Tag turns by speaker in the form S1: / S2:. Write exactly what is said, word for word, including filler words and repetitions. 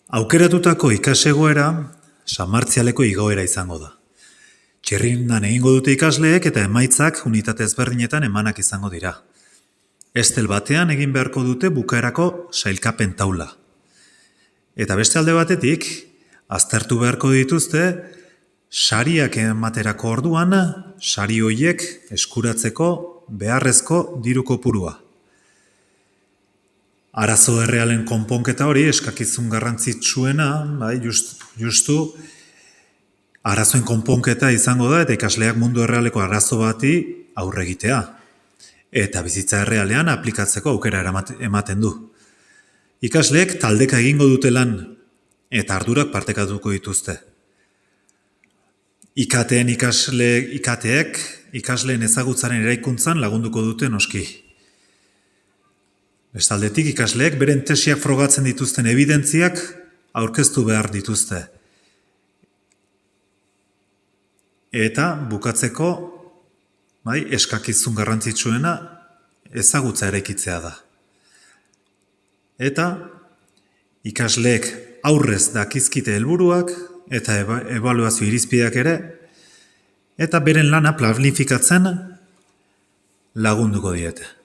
S1: Aukeratutako ikasegoera Sanmartzialeko igoera izango da. Txirrindan egingo dute ikasleek eta emaitzak unitate ezberdinetan emanak izango dira. Estel batean egin beharko dute bukaerako sailkapen taula. Eta beste alde batetik, aztertu beharko dituzte, sariak ematerako orduan, sari horiek eskuratzeko beharrezko diru kopurua. Arazo errealen konponketa hori eskakizun garrantzitsuena, bai, just, justu, arazoen konponketa izango da eta ikasleak mundu errealeko arazo bati aurre egitea. Eta bizitza errealean aplikatzeko aukera ematen du. Ikasleek taldeka egingo dute lan eta ardurak partekatuko dituzte. Ikateen ikasle, ikateek ikasleen ezagutzaren eraikuntzan lagunduko dute noski. Bestaldetik ikasleek beren tesiak frogatzen dituzten evidentziak aurkeztu behar dituzte. Eta bukatzeko, bai, eskakizun garrantzitsuena ezagutza eraikitzea da. Eta ikasleek aurrez dakizkite helburuak eta ebaluazio irizpideak ere, eta beren lana planifikatzen lagunduko diete.